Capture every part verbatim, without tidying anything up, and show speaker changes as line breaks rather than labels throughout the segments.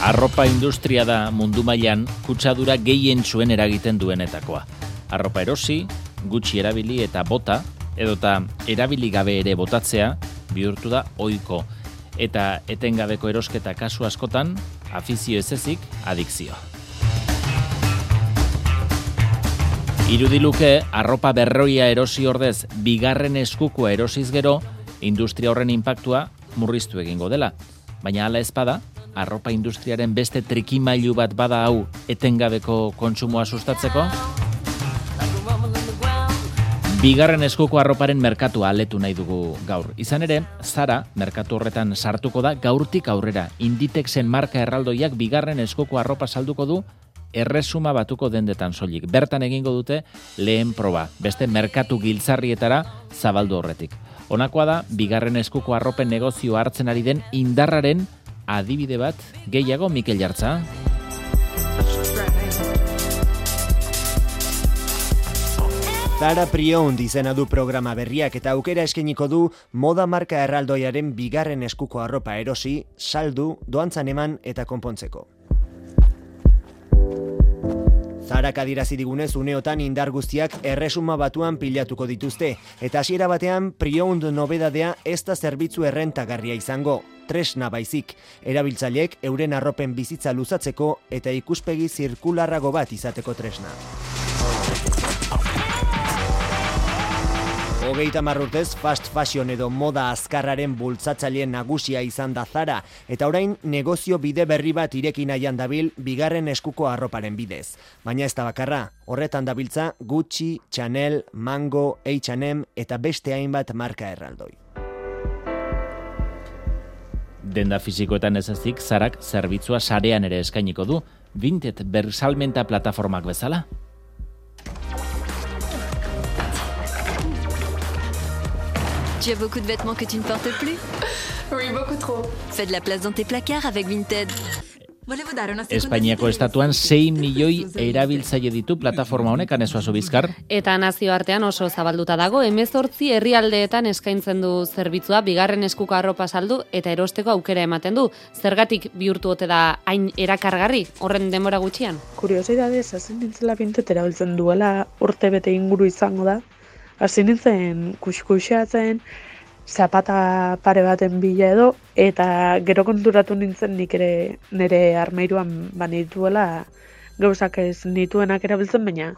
Arropa industria da mundu mailan kutsadura gehien zuen eragiten duenetakoa. Arropa erosi, gutxi erabili eta bota, edota erabili gabe ere botatzea bihurtu da ohiko. Eta etengabeko erosketa kasu askotan, afizio ez ezik, adikzio. Irudiluke, arropa berroia erosi ordez, bigarren eskukoa erosiz gero, industria horren inpaktua murriztu egingo dela. Baina hala ezpada, arropa industriaren beste trikimailu bat bada hau etengabeko kontsumoa sustatzeko? Bigarren eskuko arroparen merkatua aletu nahi dugu gaur. Izan ere, Zara merkatu horretan sartuko da gaurtik aurrera. Inditexen marka erraldoiak bigarren eskuko arropa salduko du erresuma batuko dendetan soilik. Bertan egingo dute lehen proba, beste merkatu giltzarrietara zabaldu horretik. Honakoa da, bigarren eskuko arropen negozio hartzen ari den indarraren adibide bat gehiago Mikel Jartza.
Zara Pre-Owned izena du programa berriak eta aukera eskainiko du moda marka erraldoiaren bigarren eskuko arropa erosi, saldu, doantzan eman eta konpontzeko. Zarak adirazi digunez uneotan indar guztiak erresuma batuan pilatuko dituzte, eta hasiera batean Pre-Owned nobedadea ez da zerbitzu errentagarria izango, tresna baizik, erabiltzaileek euren arropen bizitza luzatzeko eta ikuspegi zirkularrago bat izateko tresna. Hogeita hamar urtez fast fashion edo moda azkarraren bultzatzaile nagusia izan da Zara, eta orain negozio bide berri bat ireki nahian dabil bigarren eskuko arroparen bidez. Baina ez da bakarra, horretan dabiltza Gucci, Chanel, Mango, H and M eta beste hainbat marka erraldoi.
Denda fisikoetan ez ezik, Zarak zerbitzua sarean ere eskainiko du, Vinted bersalmenta plataformak bezala.
Tu as beaucoup de vêtements que tu ne portes plus?
Oui, beaucoup trop.
Fais de la place dans tes placards avec Vinted.
Espainiako estatuan sei milioi erabiltzaile ditu plataforma honek, Anesuazu Bizkar.
Eta nazioartean oso zabalduta dago, hemezortzi herrialdeetan eskaintzen du zerbitzua, bigarren eskuko arropa saldu eta erosteko aukera ematen du. Zergatik bihurtu ote da hain erakargarri, horren denbora gutxian?
Kuriosidadez, hasi nintzela Vinted erabiltzen duela urte bete inguru izango da. Hasi nintzen kuskuxatzen, zapata pare baten bila edo, eta gero konturatu nintzen nik ere nire armairuan banituela gauzak ez nituenak erabiltzen, baina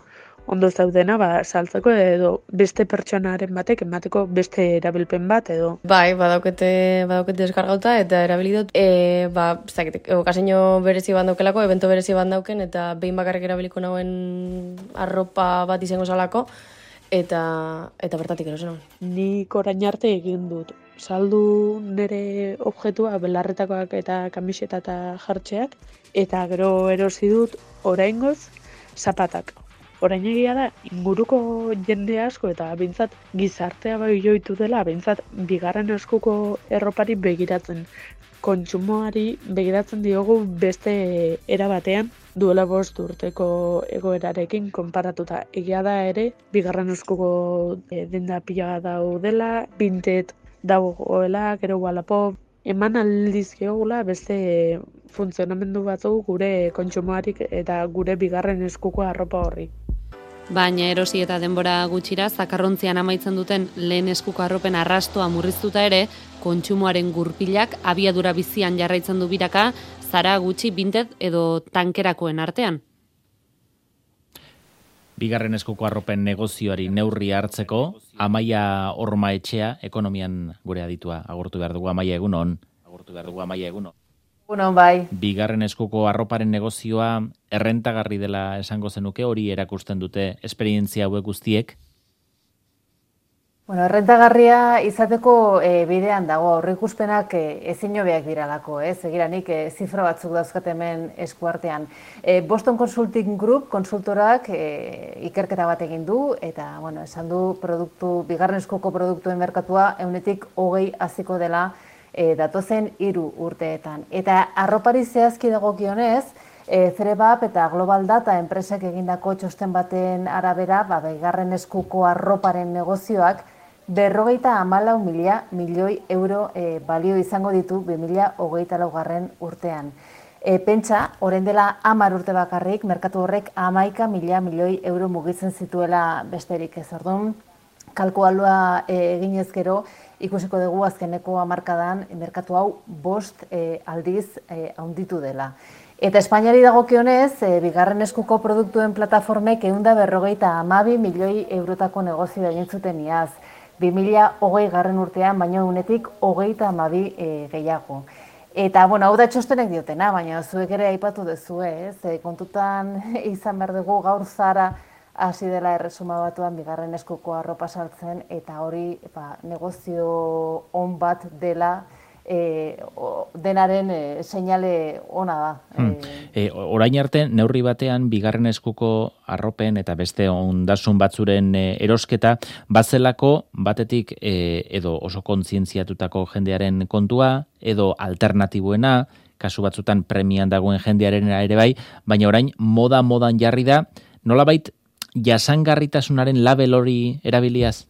ondo zaudena ba, saltzeko edo beste pertsonaren batek emateko beste erabilpen bat edo.
Bai, badaukete, badaukete deskargauta eta erabili dut. E, ba, zakit, okazio berezi bandaukelako, evento berezi bandauken, eta behin bakarrik erabiliko nauen arropa bat izango zalako, eta eta bertatik erosen hon.
Nik orain arte egin dut. Saldu nire objetua belarretakoak eta kamiseta eta jartxeak, eta gero erosi dut oraingoz zapatak. Orain egia da, inguruko jende asko eta bintzat gizartea bai joitu dela, bintzat bigarren eskuko erropari begiratzen. Kontsumoari begiratzen diogu beste era batean, duela bost urteko egoerarekin konparatuta. Egia da ere, bigarren eskuko e, denda pila daudela, Vinted dagoela, gero Wallapop, eman aldiz geogula beste funtzionamendu batzuk gure kontsumoarik eta gure bigarren eskuko arropa horri.
Baina erosi eta denbora gutxira, zakarrontzian amaitzen duten lehen eskuko arropen arrastoa murriztuta ere, kontsumoaren gurpilak abiadura bizian jarraitzen du biraka, Zara, Gucci, Vinted edo tankerakoen artean.
Bigarren eskuko arropen negozioari neurri hartzeko, Amaia Ormaetxea, ekonomian gure aditua agurtu behar dugu. Amaia egunon. Agurtu behar dugu, Amaia egunon.
Bueno, bai.
Bigarren eskuko arroparen negozioa errentagarri dela esango zenuke, hori erakusten dute esperientzia hauek guztiek?
Bueno, errentagarria izateko e, bidean dago, aurreikuspenak e, ezin hobeak diralako, ez? Egiranik e, zifra batzuk dauzkat hemen eskuartean. E, Boston Consulting Group konsultorak e, ikerketa bat egin du, eta, bueno, esan du produktu, bigarren eskuko produktuen merkatua eunetik hogei haziko dela E, datozen hiru urteetan. Eta arropari zehazki dagokionez, e, Cerebap eta Global Data enpresak egindako txosten baten arabera, ba, bigarren eskuko arroparen negozioak berrogeita hamalau mila milioi euro e, balio izango ditu bi mila hogeita laugarren urtean. E, pentsa, orain dela hamar urte bakarrik, merkatu horrek hamaika mila milioi euro mugitzen zituela besterik ez. Orduan, kalkualua e, eginez gero, ikusiko dugu azkeneko hamarkadan merkatu hau bost e, aldiz e, handitu dela. Eta Espainiari dagokionez, e, bigarren eskuko produktuen plataformek ehun eta berrogeita hamabi milioi eurotako negozioa egin zuten iaz. bi mila hogei garren urtean, baino unetik hogeita hamabi e, gehiago. Eta, bueno, hau da txostenek diotena, baina zuek ere aipatu duzue, ez? E, kontutan izan behar dugu gaur Zara hasi dela erresuma batuan bigarren eskuko arropa saltzen, eta hori ba, negozio on bat dela, E, o, denaren e, seinale ona da.
Hmm. E, orain arte, neurri batean, bigarren eskuko arropen eta beste ondasun batzuren e, erosketa, bazelako batetik e, edo oso kontzientziatutako jendearen kontua, edo alternatibuena, kasu batzutan premian dagoen jendearen ere bai, baina orain moda-modan jarri da, nolabait jasangarritasunaren label hori erabiliaz?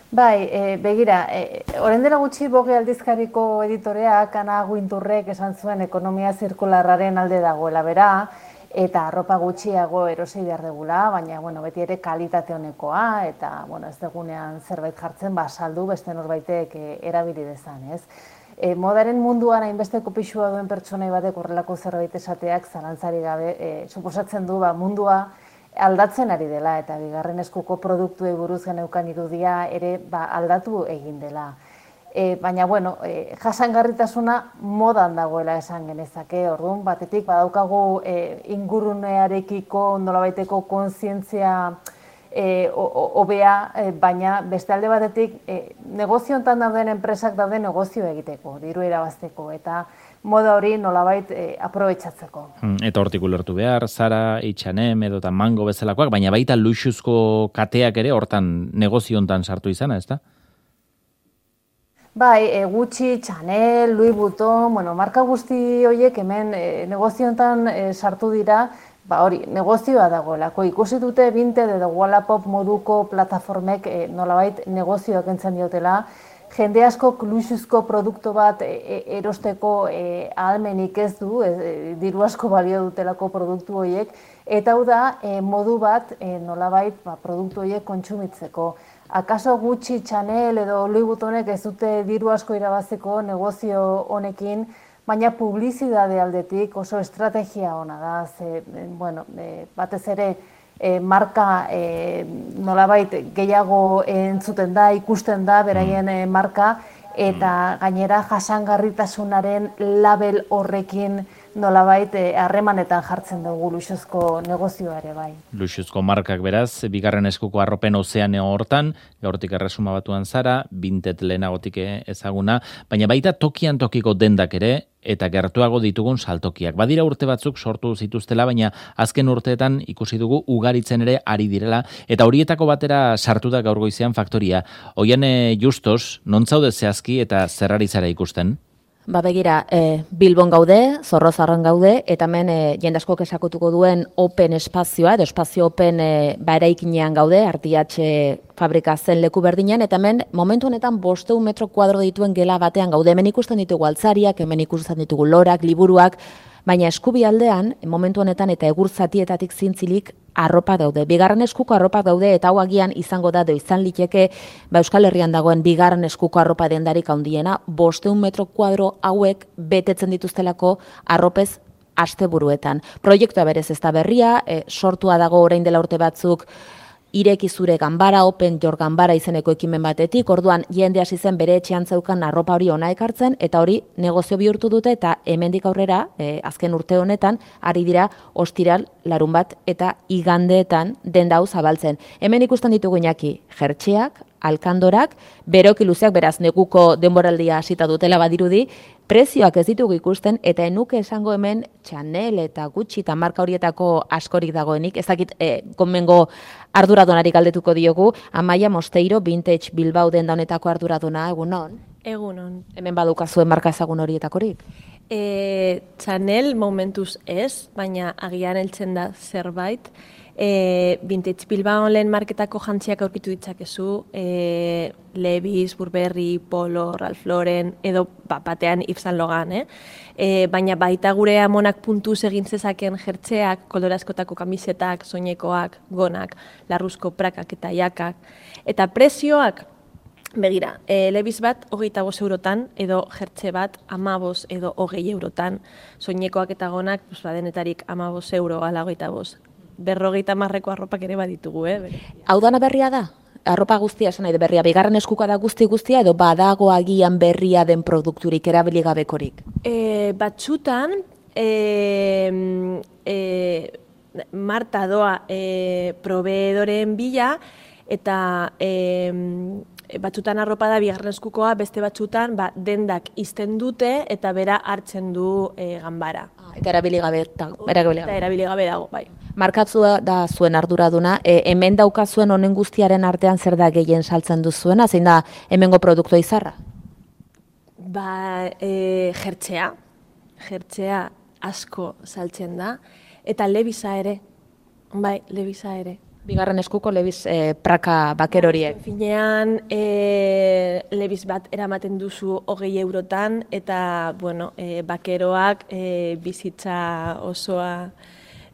Bai, e, begira, e, orain dela gutxi Vogue aldizkariko editoreak Ana Guinturrek esan zuen ekonomia zirkularraren alde dagoela bera, eta arropa gutxiago erosi behar degula, baina bueno, beti ere kalitate honekoa, eta bueno, ez degunean zerbait jartzen, ba, saldu beste norbaitek e, erabili dezan, ez? E, modaren munduan hainbeste kopixua duen pertsonai batek horrelako zerbait esateak zalantzari gabe, e, suposatzen du ba, mundua aldatzen ari dela, eta bigarren eskuko produktuei buruz geneukan irudia ere ba, aldatu egin dela. E, baina, bueno, e, jasangarritasuna modan dagoela esan genezake, orduan, batetik badaukagu e, ingurunearekiko nolabaiteko kontzientzia e, hobea, e, baina beste alde batetik e, negozio hontan dauden enpresak daude negozio egiteko, diru irabazteko, eta moda hori nolabait e, aprobetxatzeko.
Eta hortik ulertu behar, Zara, H and M edo Mango bezalakoak, baina baita luxuzko kateak ere hortan negozio hontan sartu izana, ezta?
Bai, e, Gucci, Chanel, Louis Vuitton, bueno, marka guzti horiek hemen e, negozio hontan e, sartu dira, ba hori, negozioa dagoelako. Ikusi dute Vinted edo Wallapop moduko plataformek e, nolabait negozioak entzen diotela, jende asko luxuzko produktu bat e, erosteko e, ahalmenik ez du, e, diru asko balio dutelako produktu horiek, eta hau da e, modu bat e, nolabait ba, produktu horiek kontsumitzeko. Akaso Gucci, Chanel edo Louis Vuittonek ez dute diru asko irabazteko negozio honekin, baina publizidade aldetik oso estrategia ona da, ze, bueno, e, batez ere E, marka e, nolabait gehiago entzuten da, ikusten da, beraien e, marka, eta gainera jasangarritasunaren label horrekin nolabait harremanetan jartzen dugu luxuzko negozioa ere bai.
Luxuzko markak beraz, bigarren eskuko arropen ozeaneo hortan, gaurtik erresuma batuan Zara, Vinted lehenagotik ezaguna, baina baita tokian tokiko dendak ere, eta gertuago ditugun saltokiak. Badira urte batzuk sortu zituztela, baina azken urteetan ikusi dugu ugaritzen ere ari direla, eta horietako batera sartu da gaur goizean faktoria. Oiane Justos, non zaude zehazki eta zerrari zara ikusten?
Ba begira, e, Bilbon gaude, Zorrozarren gaude, eta hemen e, jende askok esakutuko duen open espazioa, edo espazio open e, ba eraikinean gaude, Artiatxe fabrika zen leku berdinean, eta hemen momentu honetan bosteun metro kuadro dituen gela batean gaude, hemen ikusten ditugu altzariak, hemen ikusten ditugu lorak, liburuak, baina eskubi aldean, momentu honetan eta egur zatietatik zintzilik arropa daude. Bigarren eskuko arropa daude, eta hau agian izango da, izan liteke, ba Euskal Herrian dagoen bigarren eskuko arropa dendarik handiena, bosteun metro kuadro hauek betetzen dituztelako arropez asteburuetan. Proiektua berez ez da berria, e, sortua dago orain dela urte batzuk, Ireki zure ganbara, Open Your Ganbara izeneko ekimen batetik, orduan jende hasi zen bere etxean zeukan arropa hori ona ekartzen, eta hori negozio bihurtu dute, eta hemendik aurrera, e, azken urte honetan, ari dira ostiral, larun bat, eta igandeetan denda hau zabaltzen. Hemen ikusten ditugu Iñaki, jertxeak, alkandorak, beroki luzeak, beraz neguko denboraldia hasita dutela badirudi, prezioak ez ditugu ikusten, eta enuke esango hemen Chanel eta Gucci eta marka horietako askorik dagoenik, ez dakit e, konbengo arduradonari galdetuko diogu, Amaia Mosteiro, Vintage Bilbao denda honetako arduradona, egunon?
Egunon.
Hemen badukazuen marka ezagun horietakorik?
E, Chanel momentuz ez, baina agian heltzen da zerbait, E, Vintage Bilbao lehen marketako jantziak aurkitu ditzakezu, e, Levi's, Burberry, Polo, Ralph Lauren, edo ba, batean Yves Saint Laurent, eh? E, baina baita gure amonak puntuz egin zezaken jertzeak, kolorazkotako kamisetak, soinekoak, gonak, larruzko prakak eta jakak. Eta prezioak, begira, e, Levi's bat hogeita bost eurotan, edo jertze bat amabos edo hogei eurotan, soinekoak eta gonak, pues, ba, denetarik amabos euro ala hogeita bost. Berrogeita marreko arropak ere baditugu, eh?
Hau dana berria da? Arropa guztia esan nahi de berria, bigarren eskuka da guzti guztia edo badago agian berria den produkturik erabili gabekorik?
E, batzutan, e, e, Marta doa e, proveedoren bila eta e, batzutan arropa da bigarren eskukoa, beste batzutan ba, dendak izten dute eta bera hartzen du e, ganbara.
Eta erabili gabe dago. Erabili gabe.
Eta erabili gabe dago, bai.
Markatzua da zuen arduraduna, e, hemen daukazuen honen guztiaren artean zer da gehien saltzen duzuena, zein da hemengo produktua izarra?
Ba, e, jertzea, jertzea asko saltzen da, eta Levi'sa ere, bai, Levi'sa ere.
Bigarren eskuko Levi's e, praka baker horiek.
Finean, e, Levi's bat eramaten duzu hogei eurotan, eta, bueno, e, bakeroak e, bizitza osoa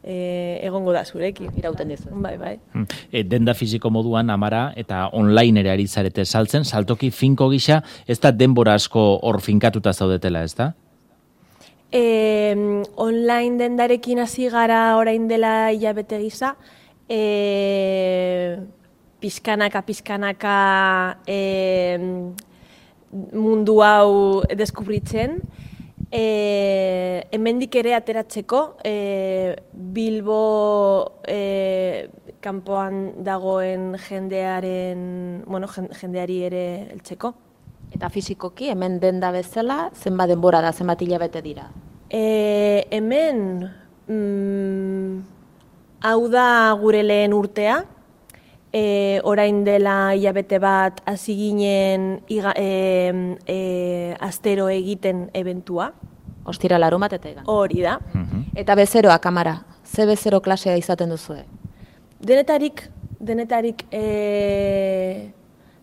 e, egongo da zurekin.
Irauten dizu.
Bai, bai.
E, denda fisiko moduan, Amara, eta online ere ari zarete saltzen, saltoki finko gisa, ez da denbora asko hor finkatuta zaudetela, ez da?
E, online dendarekin hasi gara orain dela hilabete gisa, E, pizkanaka, pizkanaka e, mundu hau deskubritzen. E, hemendik ere ateratzeko, e, Bilbo e, kanpoan dagoen jendearen, bueno, jendeari ere heltzeko.
Eta fisikoki, hemen denda bezala, zenbat denbora da, zenbat hilabete dira?
E, hemen... Mm, Hau da gure lehen urtea, e, orain dela hilabete bat hasi ginen iga, e, e, astero egiten eventua.
Ostira larumat eta egan.
Hori da.
Eta bezeroak, Amara, ze bezero klasea izaten duzue?
Denetarik, denetarik e,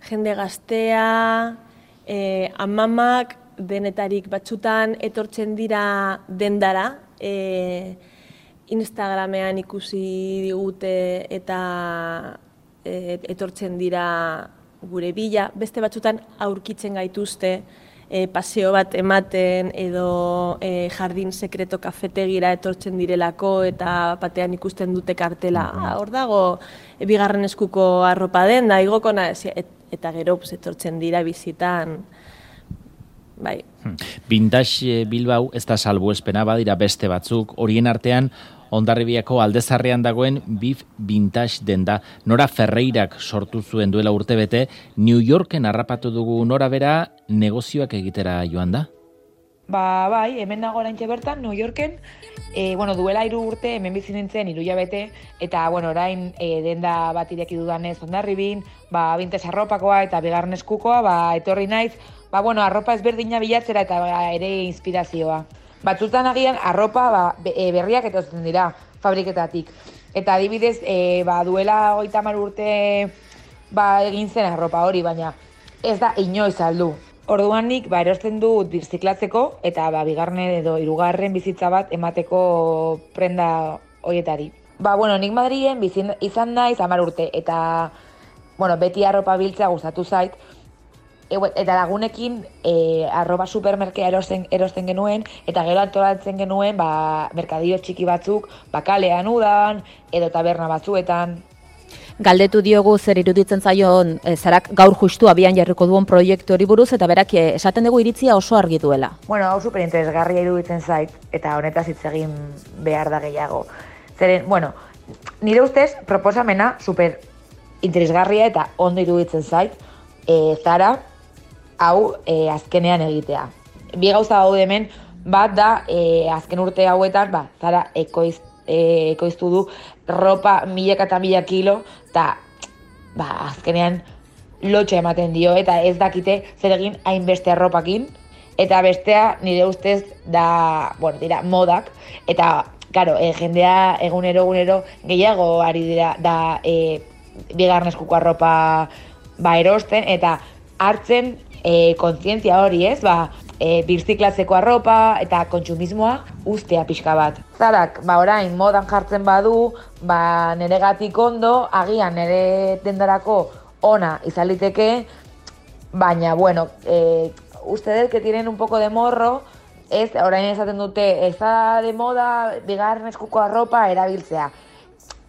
jende gaztea, e, amamak, denetarik batzutan etortzen dira dendara, e, Instagramean ikusi digute eta e, etortzen dira gure bila. Beste batzutan aurkitzen gaituzte e, paseo bat ematen edo e, jardin sekreto kafetegira etortzen direlako eta batean ikusten dute kartela. Ah, hor dago e, bigarren eskuko arropa den, da igoko naiz, et, eta gero pues, etortzen dira bizitan. Bai.
Vintage Bilbao ez da salbuespena, badira beste batzuk, horien artean Hondarribiako Aldezarrean dagoen Bif Vintage denda. Nora Ferreirak sortu zuen duela urtebete, New Yorken harrapatu dugu nora bera negozioak egitera joan da?
Ba, bai, hemen dago oraintxe bertan, New Yorken, e, bueno, duela hiru urte hemen bizi nintzen hiru hilabete, eta bueno, orain e, denda bat ireki dudanez Hondarribin, ba, vintage arropakoa eta bigarren eskukoa, ba, etorri naiz, ba, bueno, arropa ezberdina bilatzera eta ba, ere inspirazioa. Batzutan agian arropa ba, berriak etortzen dira fabriketatik. Eta adibidez, e, ba, duela hogeita hamar urte ba, egin zen arropa hori, baina ez da inoiz aldu. Orduan nik ba, erosten dut birziklatzeko eta ba, bigarren edo hirugarren bizitza bat emateko prenda horietari. Ba, bueno, nik Madrilen bizin, izan naiz hamar urte eta bueno, beti arropa biltzea gustatu zait. Eta lagunekin e, arroba supermerkea erosten, erosten genuen, eta gero antolatzen genuen ba, merkadio txiki batzuk, bakalean udan, edo taberna batzuetan.
Galdetu diogu zer iruditzen zaion e, zarak gaur justu abian jarriko duen proiektu hori buruz, eta berak e, esaten dugu iritzia oso argi duela.
Bueno, hau superinteresgarria iruditzen zait, eta honetaz hitz egin behar da gehiago. Zeren, bueno, nire ustez proposamena superinteresgarria eta ondo iruditzen zait, e, Zara, hau e, azkenean egitea. Bi gauza daude hemen, bat da e, azken urte hauetan, ba, Zara ekoiz, e, ekoiztu du ropa milaka eta mila kilo, eta ba, azkenean lotxa ematen dio, eta ez dakite zer egin hainbeste arropakin, eta bestea nire ustez da, bueno, dira modak, eta, claro, e, jendea egunero egunero gehiago ari dira da e, bigarren eskuko arropa ba, erosten, eta hartzen e, kontzientzia hori, ez, ba, e, birziklatzeko arropa eta kontsumismoa ustea pixka bat. Zarak, ba, orain modan jartzen badu, ba, neregatik ondo, agian nere dendarako ona izaliteke, baina, bueno, eh, ustedes que tienen un poco de morro, ez, orain esaten dute, ez da de moda bigarren eskuko arropa erabiltzea.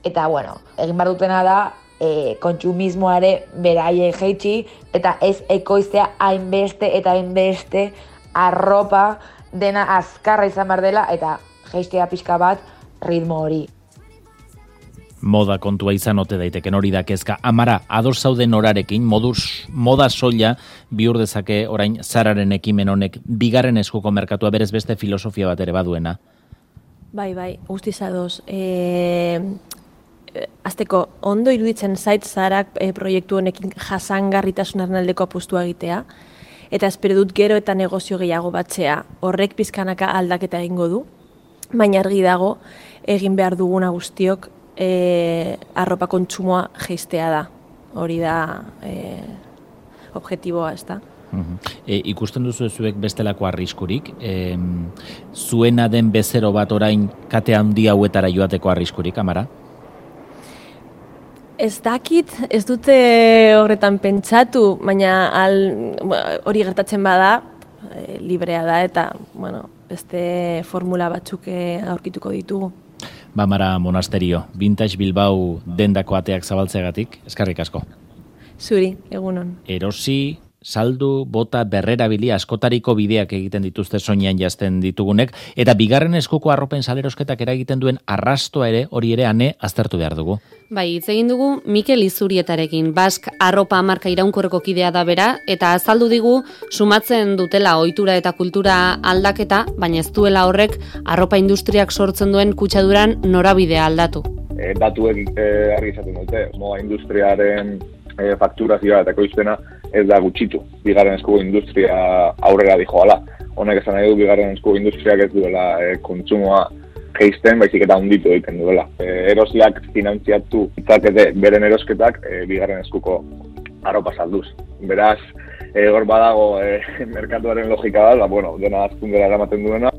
Eta, bueno, egin behar dutena da, e, kontsumismoare beraie jeitsi, eta ez ekoiztea hainbeste eta hainbeste arropa dena azkarra izan behar dela, eta jeistea pixka bat ritmo hori.
Moda kontua izan ote daiteken hori da kezka. Amara, ados zauden orarekin, moduz moda soila bihur dezake orain Zararen ekimen honek bigarren eskuko merkatua berez beste filosofia bat ere baduena.
Bai, bai, guztiz ados. E, azteko, ondo iruditzen zait Zarak e, proiektu honekin jasangarritasunaren aldeko apustua egitea, eta espero dut gero eta negozio gehiago batzea. Horrek pizkanaka aldaketa egingo du, baina argi dago egin behar duguna guztiok E, arropa kontsumoa jeistea da. Hori da e, objektiboa, ez da.
Uh-huh. E, ikusten duzu zuek bestelako arriskurik? E, zuena den bezero bat orain kate handi hauetara joateko arriskurik, Amara?
Ez dakit, ez dute horretan pentsatu, baina al, hori gertatzen bada, e, librea da, eta bueno, beste formula batzuk aurkituko ditugu.
Bamara Monasterio, Vintage Bilbao dendako ateak zabaltzeagatik, eskerrik asko.
Zuri, egunon.
Erosi, saldu, bota, berrerabili askotariko bideak egiten dituzte soinean jazten ditugunek, eta bigarren eskuko arropen salerosketak eragiten duen arrastoa ere, hori ere ane aztertu behar dugu.
Bai, hitz egin dugu Mikel Izurietarekin, Bask arropa marka iraunkorreko kidea da bera, eta azaldu digu sumatzen dutela ohitura eta kultura aldaketa, baina ez duela horrek arropa industriak sortzen duen kutsaduran norabidea aldatu.
E, datuek e, argi izaten dute, moda industriaren e, fakturazioa eta ekoizpena ez da gutxitu. Bigarren eskuko industria aurrera dijoala. Honek esan nahi du bigarren eskuko industriak ez duela e, kontsumoa jeisten, baizik eta hunditu egiten duela. E, erosiak finantziatu itzakete beren erosketak e, bigarren eskuko arropa salduz. Beraz, e, hor badago e, merkatuaren logika da, bueno, dena azkundera eramaten duena.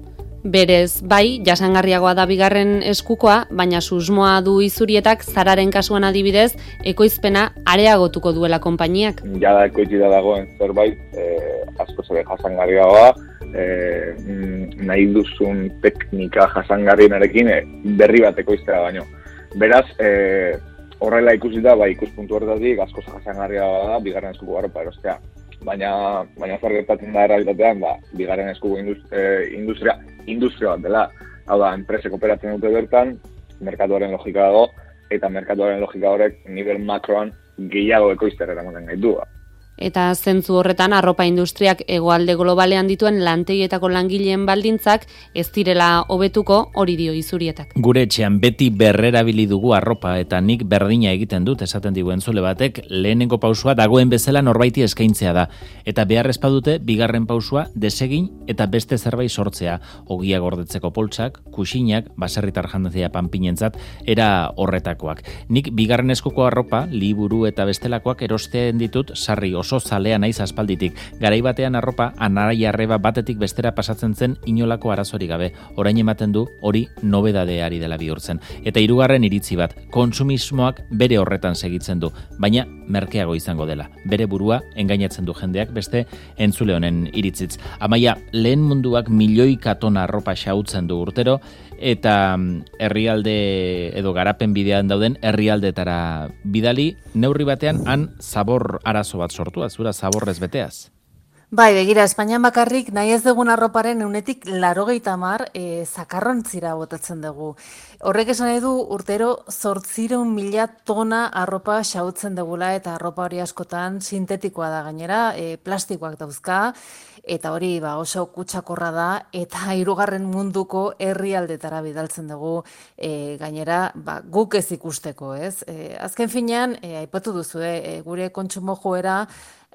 Berez, bai, jasangarriagoa da bigarren eskukoa, baina susmoa du Izurietak Zararen kasuan adibidez, ekoizpena areagotuko duela konpainiak.
Jada ekoitzita dagoen zerbait, e, asko zebe jasangarriagoa, e, nahi duzun teknika jasangarrienarekin e, berri bat ekoiztera baino. Beraz, e, horrela ikusita, bai, ikuspuntu horretatik asko jasangarriagoa da bigarren eskuko arropa erostea. Baina, baina zer gertatzen da errealitatean, ba, bigarren eskuko industria, industria, industria bat dela. Hau da, enpresek operatzen dute bertan, merkatuaren logika dago, eta merkatuaren logika horrek nivel makroan gehiago ekoiztera eramaten gaitu.
Eta zentzu horretan arropa industriak hegoalde globalean dituen lantegietako langileen baldintzak ez direla hobetuko, hori dio Izurietak.
Gure etxean beti berrerabili dugu arropa eta nik berdina egiten dut, esaten digu entzule batek, lehenengo pausua dagoen bezala norbaiti eskaintzea da. Eta behar ezpadute bigarren pausua desegin eta beste zerbait sortzea. Ogia gordetzeko poltsak, kuxinak, baserritar jandazia panpinentzat, era horretakoak. Nik bigarren eskuko arropa, liburu eta bestelakoak erosten ditut sarri oso zalea naiz aspalditik. Garai batean arropa anaia arreba batetik bestera pasatzen zen inolako arazorik gabe. Orain ematen du hori nobedadeari dela bihurtzen. Eta hirugarren iritzi bat, kontsumismoak bere horretan segitzen du, baina merkeago izango dela. Bere burua engainatzen du jendeak beste entzule honen iritzitz. Amaia, lehen munduak milioika tona arropa xautzen du urtero, eta herrialde edo garapen bidean dauden herrialdetara bidali, neurri batean han zabor arazo bat sortu, azura zaborrez beteaz.
Bai, begira, Espainian bakarrik nahi ez dugun arroparen eunetik larogeita hamar e, zakarrontzira botatzen dugu. Horrek esan nahi du urtero zortziehun mila tona arropa xautzen dugula eta arropa hori askotan sintetikoa da gainera, e, plastikoak dauzka, eta hori ba, oso kutsakorra da eta hirugarren munduko herrialdetara bidaltzen dugu e, gainera ba, guk ez ikusteko, ez? E, azken finean, e, aipatu duzu, e, gure kontsumo joera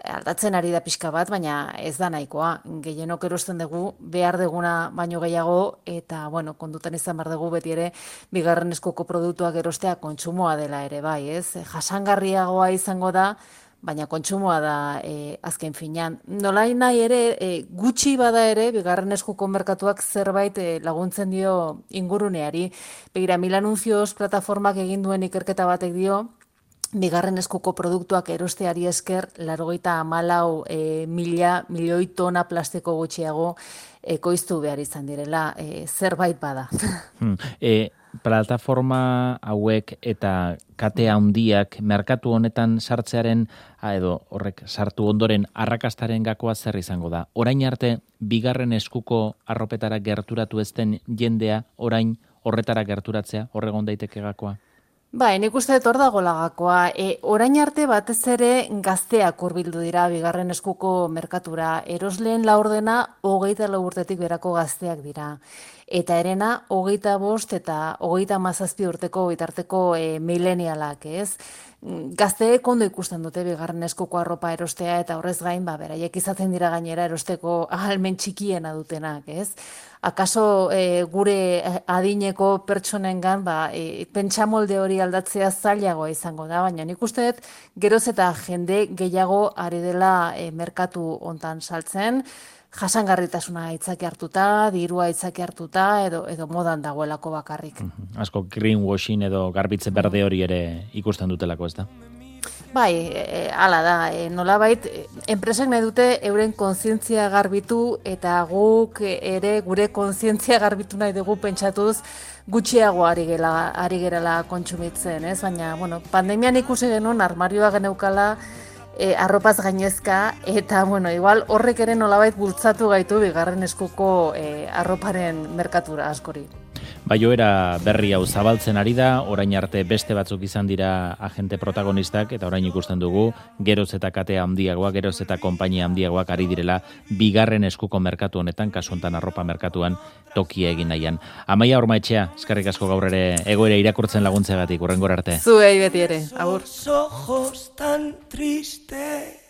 aldatzen ari da pixka bat, baina ez da nahikoa. Gehienok erosten dugu, behar deguna baino gehiago, eta, bueno, kondutan izan behar dugu beti ere, bigarren eskuko produktuak erostea kontsumoa dela ere, bai, ez? Jasangarriagoa izango da, baina kontsumoa da e, azken finean. Nolai nahi ere, e, gutxi bada ere, bigarren eskuko merkatuak zerbait e, laguntzen dio inguruneari. Begira, Milanunzioz plataformak egin duen ikerketa batek dio, bigarren eskuko produktuak erosteari esker, laurogeita hamalau e, mila, milioi tona plastiko gutxiago ekoiztu behar izan direla, e, zerbait bada.
Hmm. E, plataforma hauek eta kate handiak merkatu honetan sartzearen, edo horrek sartu ondoren arrakastaren gakoa zer izango da? Orain arte, bigarren eskuko arropetara gerturatu ezten jendea, orain horretara gerturatzea, horregon daiteke gakoa?
Bai, nik uste dut hor dago lagakoa. E, orain arte batez ere gazteak hurbildu dira bigarren eskuko merkatura. Erosleen laurdena hogeita lau urtetik berako gazteak dira. Eta erena hogeita bost eta hogeita hamazazpi urteko bitarteko e, milenialak, ez? Gazteek ondo ikusten dute bigarren eskuko arropa erostea eta horrez gain, ba, beraiek izaten dira gainera erosteko ahalmen txikiena dutenak, ez? Akaso e, gure adineko pertsonengan ba, e, pentsamolde hori aldatzea zailagoa izango da, baina nik uste dut geroz eta jende gehiago ari dela e, merkatu hontan saltzen, jasangarritasuna aitzaki hartuta, dirua aitzaki hartuta, edo, edo modan dagoelako bakarrik.
Mm-hmm. Asko greenwashing edo garbitze berde hori ere ikusten dutelako, ez da?
Bai, e, ala da, e, nolabait, enpresak nahi dute euren kontzientzia garbitu eta guk ere gure kontzientzia garbitu nahi dugu pentsatuz gutxiago ari gela, ari gerala kontsumitzen, ez? Baina, bueno, pandemian ikusi genuen armarioa geneukala e, arropaz gainezka eta, bueno, igual horrek ere nolabait bultzatu gaitu bigarren eskuko e, arroparen merkatura askori.
Baioera berri hau zabaltzen ari da, orain arte beste batzuk izan dira agente protagonistak, eta orain ikusten dugu, geroz eta katea handiagoak, geroz eta konpainia handiagoak ari direla, bigarren eskuko merkatu honetan, kasu honetan arropa merkatuan tokia egin nahian. Amaia Ormaetxea, eskerrik asko gaur ere egoera irakurtzen laguntzeagatik, hurrengora arte.
Zuei beti ere, agur.
Ojos tan tristes.